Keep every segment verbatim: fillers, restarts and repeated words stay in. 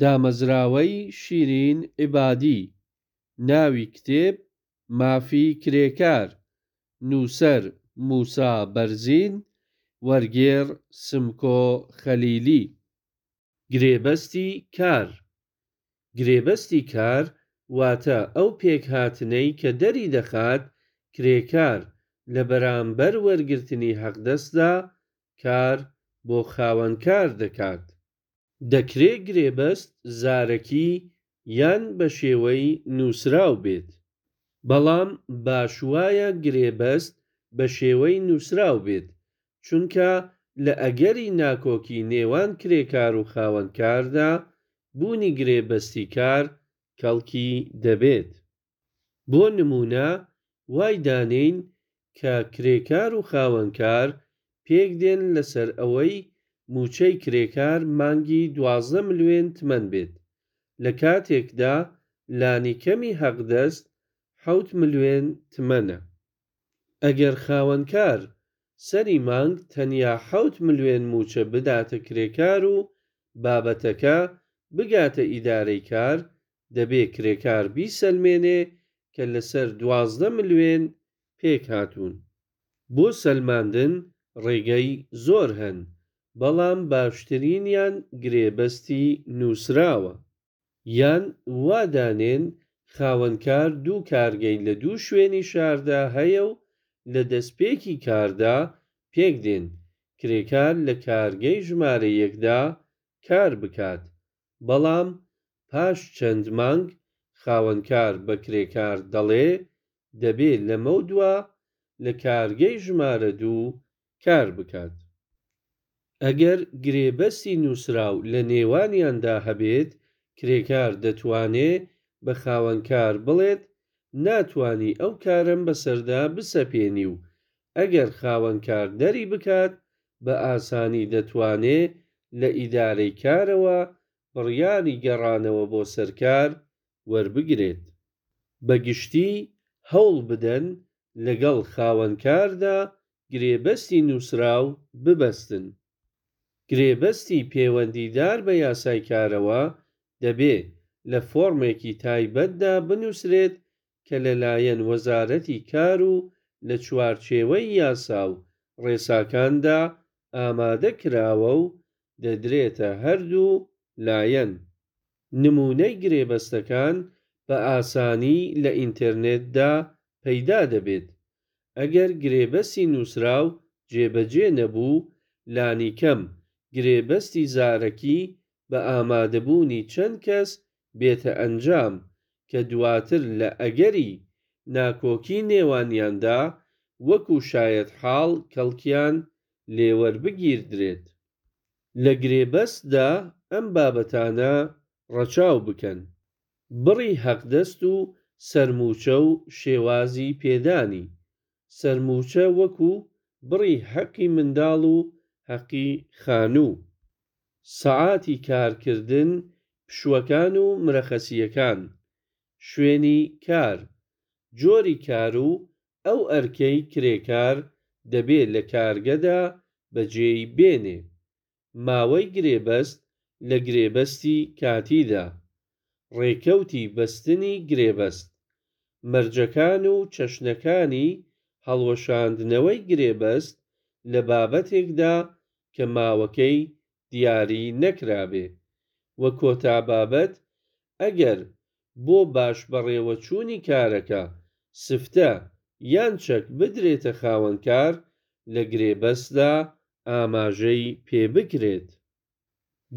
دامەزراوەی شیرین عیبادی. ناوی کتێب: مافی کرێکار. نووسەر: موسا بەرزین. وەرگێڕ: سمکۆ خەلیلی. گرێبەستی کار. گرێبەستی کار واتە ئەو پێکهاتنەی کە دەریدەخات کرێکار لە بەرامبەر وەرگرتنی حەقدەستدا کار بۆ خاوەنکار دەکات. دەکرێ گرێبەست زارەکی یان بە شێوەی نووسراو بێت. بەڵام باش وایە گرێبەست بە شێوەی نووسراو بێت، چونکە لە ئەگەری ناکۆکی نێوان کرێکار و خاوەنکاردا، بوونی گرێبەستی کار کەڵکی دەبێت. بۆ نموونە وای دانێین کە کرێکار و خاوەنکار پێک دێن لەسەر ئەوەی مووچەی کرێکار مانگی دوازدە ملیۆن تمەن بێت، لە کاتێکدا لانیکەمی حەقدەست حەوت ملیۆن تمەنە. ئەگەر خاوەنکار سەری مانگ تەنیا حەوت ملیۆن مووچە بداتە کرێکار و بابەتەکە بگاتە ئیدارەی کار، دەبێ کرێکار بیسەلمێنێ کە لەسەر دوازدە ملیۆن پێک هاتوون. بۆ سەلماندن ڕێگەی زۆر هەن، بەڵام باشترینیان گرێبەستی نووسراوە. یان وا دانێن خاوەنکار دوو کارگەی لە دوو شوێنی شاردا هەیە و لە دەستپێکی کاردا پێک دێن کرێکار لە کارگەی ژمارە یەکدا کار بکات، بەڵام پاش چەند مانگ خاوەنکار بە کرێکار دەڵێ دەبێ لەمەودوا لە کارگەی ژمارە دوو کار بکات. ئەگەر گرێبەستی نووسراو لە نێوانیاندا هەبێت، کرێکار دەتوانێ بە خاوەنکار بڵێت ناتوانی ئەو کارەم بەسەردا بسەپێنی و ئەگەر خاوەنکار دەری بکات بە ئاسانی دەتوانێ لە ئیدارەی کارەوە بڕیاری گەڕانەوە بۆ سەر کار وەربگرێت. بە گشتی هەوڵ بدەن لەگەڵ خاوەنکاردا گرێبەستی نووسراو ببەستن. گرێبەستی پێوەندیدار بە یاسای کارەوە دەبێ لە فۆرمێکی تایبەتدا بنووسرێت کە لەلایەن وەزارەتی کار و لە چوارچێوەی یاسا و ڕێساکاندا ئامادە کراوە و دەدرێتە هەردوو لایەن. نموونەی گرێبەستەکان بە ئاسانی لە ئینتەرنێتدا پەیدا دەبێت. ئەگەر گرێبەستی نووسراو جێبەجێ نەبوو، لانیکەم گرێبەستی زارەکی بە ئامادەبوونی چەند کەس بێتە ئەنجام، کە دواتر لە ئەگەری ناکۆکی نێوانیاندا وەکوو شایەتحاڵ کەڵکیان لێ وەربگیردرێت. لە گرێبەستدا ئەم بابەتانە ڕەچاو بکەن: بڕی حەقدەست و سەرمووچە و شێوازی پێدانی. سەرمووچە وەکوو بڕی حەقی منداڵ و حەقی خانوو. سەعاتی کارکردن، پشووەکان و مرەخەسییەکان. شوێنی کار. جۆری کار و ئەو ئەرکەی کرێکار دەبێ لە کارگەدا بەجێی بێنێ. ماوەی گرێبەست لە گرێبەستی کاتیدا. ڕێکەوتی بەستنی گرێبەست. مەرجەکان و چەشنەکانی هەڵوەشاندنەوەی گرێبەست لە بابەتێکدا کە ماوەکەی دیاری نەکرابێ. وە کۆتا بابەت ئەگەر بۆ باش بەڕێوەچوونی کارەکە سفتە یان چەک بدرێتە خاوەنکار لە گرێبەستدا ئاماژەی پێ بکرێت.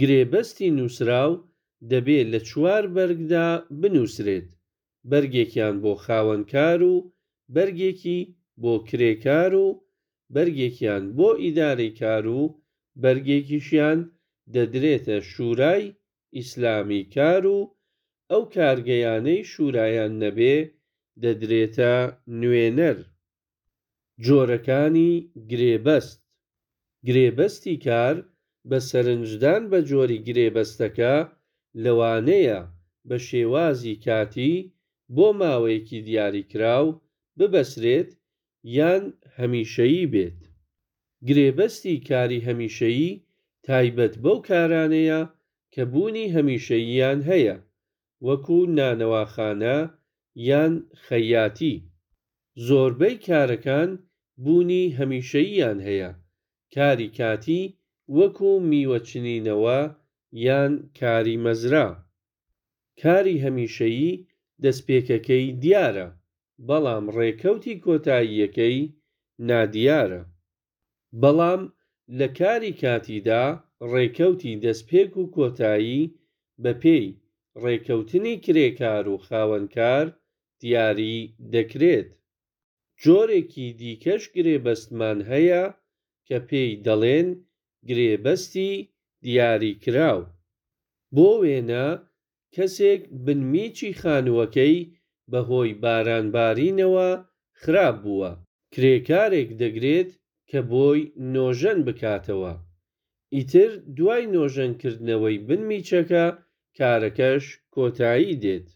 گرێبەستی نووسراو دەبێ لە چوار بەرگدا بنووسرێت، بەرگێکیان بۆ خاوەنکار و بەرگێکی بۆ کرێکار و بەرگێکیان بۆ ئیدارەی کار و بەرگێکیشیان دەدرێتە شوورای ئیسلامیی کار و ئەو کارگەیانەی شوورایان نەبێ دەدرێتە نوێنەر. جۆرەکانی گرێبەست. گرێبەستی کار بە سەرنجدان بە جۆری گرێبەستەکە، لەوانەیە بە شێوازی کاتی بۆ ماوەیەکی دیاریکراو ببەسرێت یان هەمیشەیی بێت. گرێبەستی کاری هەمیشەیی تایبەت بەو کارانەیە کە بوونی هەمیشەییان هەیە، وەکوو نانەواخانە یان خەیاتی. زۆربەی کارەکان بوونی هەمیشەییان هەیە. کاری کاتی وەکوو میوە چنینەوە یان کاری مەزرا. کاری هەمیشەیی دەستپێکەکەی دیارە، بەڵام ڕێکەوتی کۆتاییەکەی نادیارە. بەڵام لە کاری کاتیدا ڕێکەوتی دەستپێک و کۆتایی بەپێی ڕێکەوتنی کرێکار و خاوەنکار دیاری دەکرێت. جۆرێکی دیکەش گرێبەستمان هەیە کە پێی دەڵێن گرێبەستی دیاریکراو. بۆ وێنە کەسێک بنمیچی خانووەکەی بە هۆی بارانبارینەوە خراپ بووە، کرێکارێک دەگرێت کە بۆی نۆژەن بکاتەوە. ئیتر دوای نۆژەنکردنەوەی بنمیچەکە کارەکەش کۆتایی دێت.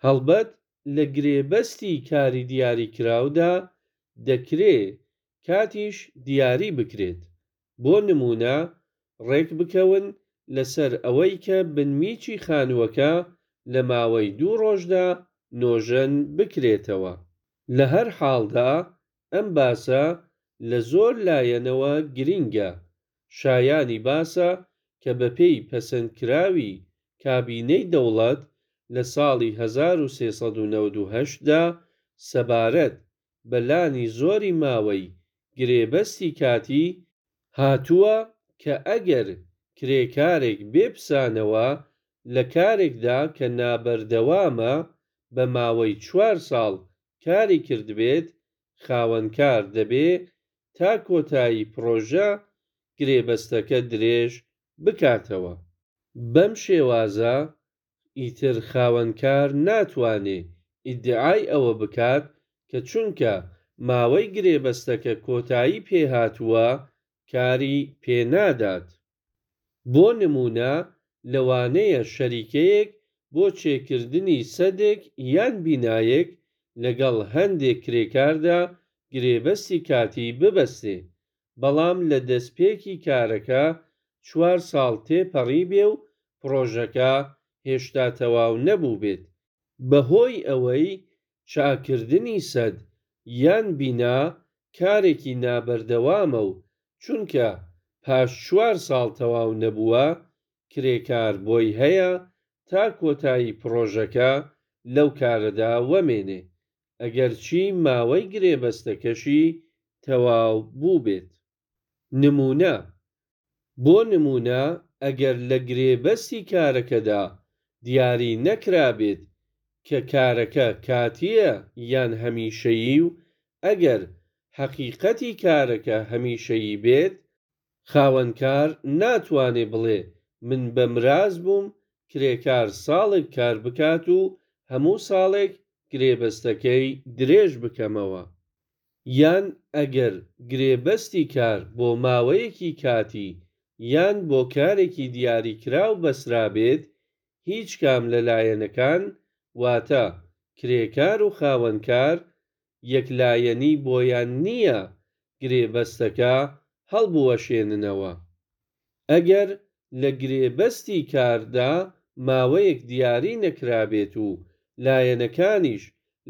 هەڵبەت لە گرێبەستی کاری دیاریکراودا دەکرێ کاتیش دیاری بکرێت. بۆ نموونە ڕێک بکەون لەسەر ئەوەی کە بنمیچی خانووەکە لە ماوەی دوو ڕۆژدا نۆژەن بکرێتەوە. لە هەر حاڵدا ئەم باسە لە زۆر لایەنەوە گرینگە. شایانی باسە کە بەپێی پەسەندکراوی کابینەی دەوڵەت لە ساڵی هەزار و سێ سەد و نەوەد و هەشت دا سەبارەت بە لانی زۆری ماوەی گرێبەستی کاتی، هاتووە کە ئەگەر کرێکارێک بێ پسانەوە لە کارێکدا کە نابەردەوامە بە ماوەی چوار ساڵ کاری کردبێت، خاوەنکار دەبێ تا کۆتایی پرۆژە گرێبەستەکە درێژ بکاتەوە. بەم شێوازە ئیتر خاوەنکار ناتوانێ ئیدعای ئەوە بکات کە چونکە ماوەی گرێبەستەکە کۆتایی پێ هاتووە کاری پێ نادات. بۆ نموونە لەوانەیە شەریکەیەک بۆ چێکردنی سەدێک یان بینایەک لەگەڵ هەندێ کرێکاردا گرێبەستی کاتی ببەستێ، بەڵام لە دەستپێکی کارەکە چوار ساڵ تێپەڕیبێ و پرۆژەکە هێشتا تەواو نەبووبێت. بە هۆی ئەوەی چاککردنی سەد یان بینا کارێکی نابەردەوامە و چونکە پاش چوار ساڵ تەواو نەبووە، کرێکار بۆی هەیە تا کۆتایی پرۆژەکە لەو کارەدا وەمێنێ، ئەگەرچی ماوەی گرێبەستەکەشی تەواو بووبێت. نموونە بۆ نموونە ئەگەر لە گرێبەستی کارەکەدا دیاری نەکرابێت کە کارەکە کاتییە یان هەمیشەیی و ئەگەر حەقیقەتی کارەکە هەمیشەیی بێت، خاوەنکار ناتوانێ بڵێ من بە مراز بووم کرێکار ساڵێک کار بکات و هەموو ساڵێک گرێبەستەکەی درێژ بکەمەوە. یان ئەگەر گرێبەستی کار بۆ ماوەیەکی کاتی یان بۆ کارێکی دیاریکراو بەسترابێت، هیچ کام لە لایەنەکان، واتە کرێکار و خاوەنکار، یەکلایەنی بۆیان نییە گرێبەستەکە هەڵبوەشێننەوە. ئەگەر لە گرێبەستی کاردا ماوەیەک دیاری نەکرابێت و لایەنەکانیش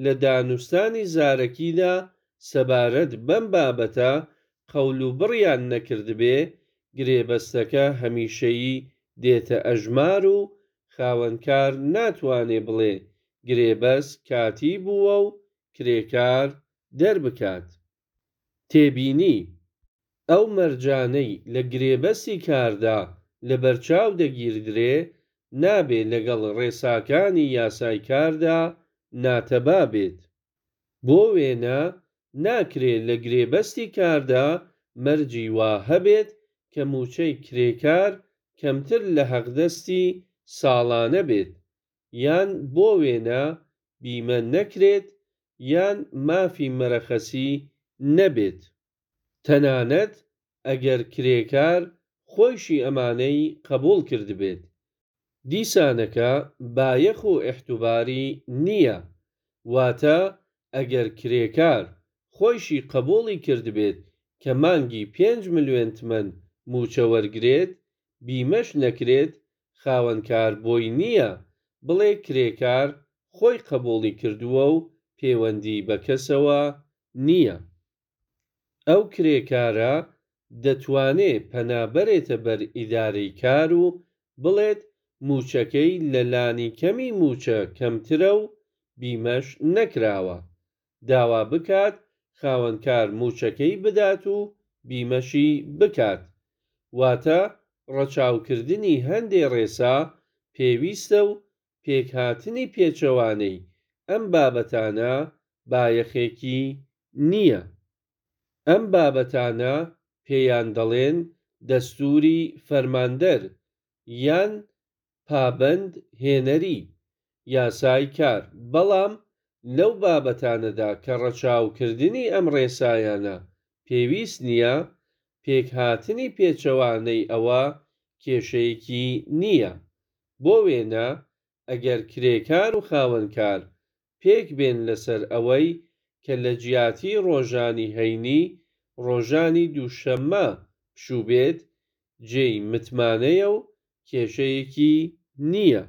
لە دانوستانی زارەکیدا سەبارەت بەم بابەتە قەولوبڕیان نەکردبێ، گرێبەستەکە هەمیشەیی دێتە ئەژمار و خاوەنکار ناتوانێ بڵێ گرێبەست کاتی بووە و کرێکار دەربکات. تێبینی: ئەو مەرجانەی لە گرێبەستی کاردا لەبەرچاو دەگیردرێ، نابێ لەگەڵ ڕێساکانی یاسای کاردا ناتەبا بێت. بۆ وێنە ناکرێ لە گرێبەستی کاردا مەرجی وا هەبێت کە مووچەی کرێکار کەمتر لە حەقدەستی ساڵانە بێت، یان بۆ وێنە بیمە نەکرێت یان مافی مەرەخەسی نەبێت. تەنانەت ئەگەر کرێکار خۆیشی ئەمانەی قەبووڵ کردبێت، دیسانەکە بایەخ و ئیعتوباری نییە. واتە ئەگەر کرێکار خۆیشی قەبووڵی کردبێت کە مانگی پێنج ملیۆن تمەن مووچە وەرگرێت، بیمەش نەکرێت، خاوەنکار بۆی نییە بڵێ کرێکار خۆی قبووڵی کردووە و پێوەندی بە کەسەوە نییە. ئەو کرێکارە دەتوانێ پەنا بەرێتە بەر ئیدارەی کار و بڵێت مووچەکەی لە لانیکەمی مووچە کەمترە و بیمەش نەکراوە، داوا بکات خاوەنکار مووچەکەی بدات و بیمەشی بکات. واتە ڕەچاوکردنی هەندێ ڕێسا پێویستە و پێکهاتنی پێچەوانەی ئەم بابەتانە بایەخێکی نییە. ئەم بابەتانە پێیان دەڵێن دەستووری فەرماندەر یان پابەند هێنەری یاسای کار. بەڵام لەو بابەتانەدا کە ڕەچاوکردنی ئەم ڕێسایانە پێویست نییە، پێکهاتنی پێچەوانەی ئەوە کێشەیەکی نییە. بۆ وێنە ئەگەر کرێکار و خاوەنکار پێک بێن لەسەر ئەوەی کە لەجیاتی ڕۆژانی هەینی ڕۆژانی دووشەممە پشوو بێت، جێی متمانەیە و کێشەیەکی نییە.